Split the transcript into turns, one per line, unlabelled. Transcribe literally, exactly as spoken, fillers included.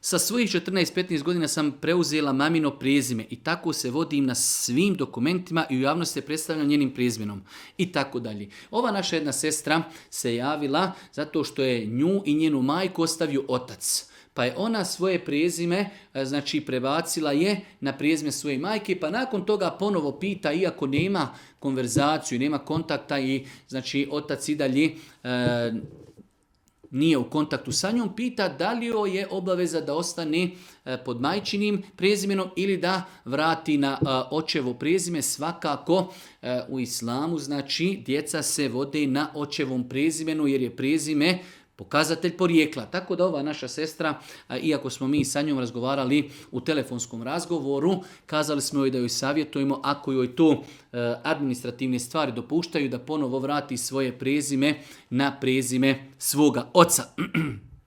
sa svojih četrnaest petnaest godina sam preuzela mamino prezime i tako se vodim na svim dokumentima i u javnosti se predstavljam njenim prezimenom i tako dalje. Ova naša jedna sestra se javila zato što je nju i njenu majku ostavio otac. Pa je ona svoje prezime, znači prebacila je na prezime svoje majke, pa nakon toga ponovo pita, iako nema konverzaciju, nema kontakta i znači otac i dalje e, nije u kontaktu sa njom, pita da li joj je obaveza da ostane pod majčinim prezimenom ili da vrati na očevo prezime. Svakako u islamu, znači djeca se vode na očevom prezimenu jer je prezime pokazatelj porijekla. Tako da ova naša sestra, iako smo mi sa njom razgovarali u telefonskom razgovoru, kazali smo joj da joj savjetujemo, ako joj to administrativne stvari dopuštaju, da ponovo vrati svoje prezime na prezime svoga oca.